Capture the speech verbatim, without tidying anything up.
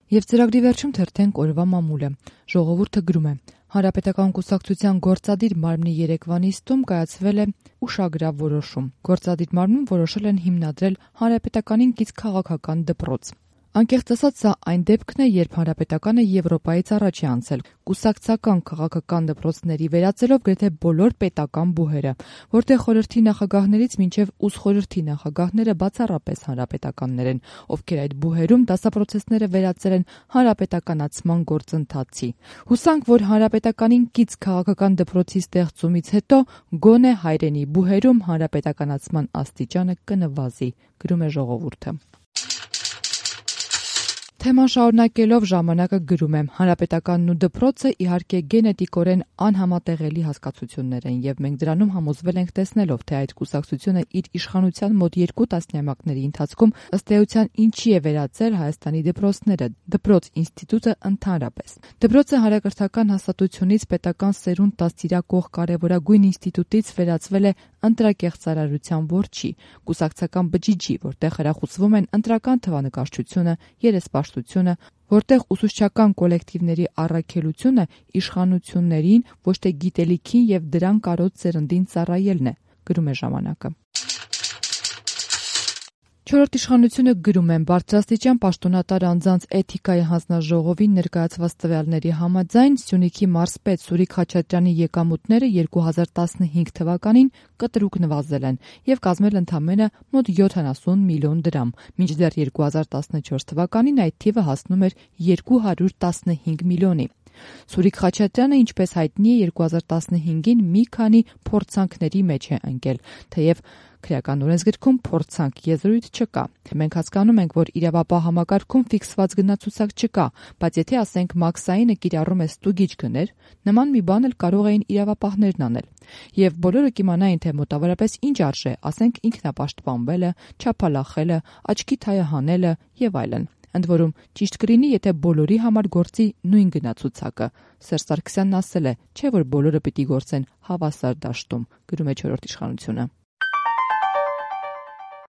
Եվ ծրագրի վերջում թերթենք օրվա մամուլը։ Ժողովուրդը գրում է. Հանրապետական կուսակցության գործադիր մարմնի երեկվա նիստում կայացվել է ուշագրավ որոշում։ Գործադիր մարմնում որոշել են հիմնադրել Հանրապետականին կից քաղաքական դպրոց։ Անկեղծ ասած, սա այն դեպքն է, երբ Հանրապետականը Եվրոպայից առաջ է անցել կուսակցական քաղաքական դպրոցների վերածելով գրեթե բոլոր պետական բուհերը, որտեղ խորհրդի նախագահներից մինչև ուսխորհրդի նախագահները բացառապես հանրապետականներ են, ովքեր այդ բուհերում դասապրոցեսները վերածել են հանրապետականացման գործընթացի։ Հուսանք, որ Հանրապետականին կից քաղաքական դպրոցի ստեղծումից հետո գոնե հայրենի բուհերում հանրապետականացման աստիճանը կնվազի, գրում է ժողովուրդը։ Թեման շարունակելով ժամանակը գրում է. Հանրապետականն ու դպրոցը իհարկե գենետիկորեն անհամատեղելի հասկացություններ են, եւ մենք դրանում համոզվել ենք տեսնելով, թե այդ կուսակցությունը իր իշխանության մոտ երկու տասնամյակների ընթացքում ըստ էության ինչի է վերածել Հայաստանի դպրոցները, դպրոց ինստիտուտը ընդհանրապես։ Դպրոցը հանրակրթական հաստատությունից պետական սերունդ դաստիարակող կարևորագույն ինստիտուտից վերածվել է ընտրակեղծարարության որջի, կուսակցական բջիջի, որտեղ խրախուսվում են ընտրական թվանկարչությունը, երեսպաշտությունը, որտեղ ուսուցչական կոլեկտիվների առաքելությունը իշխանություններին, ոչ թե գիտելիքին եւ դրան կարոտ սերնդին ծառայելն է, գրում է ժամանակը։ Չորրորդ իշխանությունը գրում է. բարձրաստիճան պաշտոնատար անձանց էթիկայի հանձնաժողովին ներկայացված տվյալների համաձայն Սյունիքի մարզպետ Սուրիկ Խաչատրյանի եկամուտները երկու հազար տասնհինգ թվականին կտրուկ նվազել են եւ կազմել ընդամենը մոտ յոթանասուն միլիոն դրամ, մինչդեռ երկու հազար տասնչորս թվականին այդ թիվը հասնում էր երկու հարյուր տասնհինգ միլիոնի։ Սուրիկ Խաչատրյանը, ինչպես հայտնի է, երկու հազար տասնհինգին մի քանի փորձանքների մեջ է ընկել, թեև քրեական օրենսգրքում փորձանք եզրույթ չկա։ Մենք հասկանում ենք, որ իրավապահ համակարգում ֆիքսված գնացուցակ չկա, բայց եթե ասենք մաքսայինը կիրառում է ստուգիչ գներ, նման մի բան էլ կարող էին իրավապահներն անել։ Եվ բոլորը կիմանային, թե մոտավորապես ինչ արժե, ասենք ինքնապաշտպանվելը, չափալախելը, աչքի թայը հանելը եւ այլն։ Ընդ որում, ճիշտ կլինի, եթե բոլորի համար գործի նույն գնացուցակը։ Սերժ Սարգսյանն ասել է, չէ՞ որ բոլորը պիտի գործեն հավասար դաշտում, գրում է չորրորդ իշխանությունը։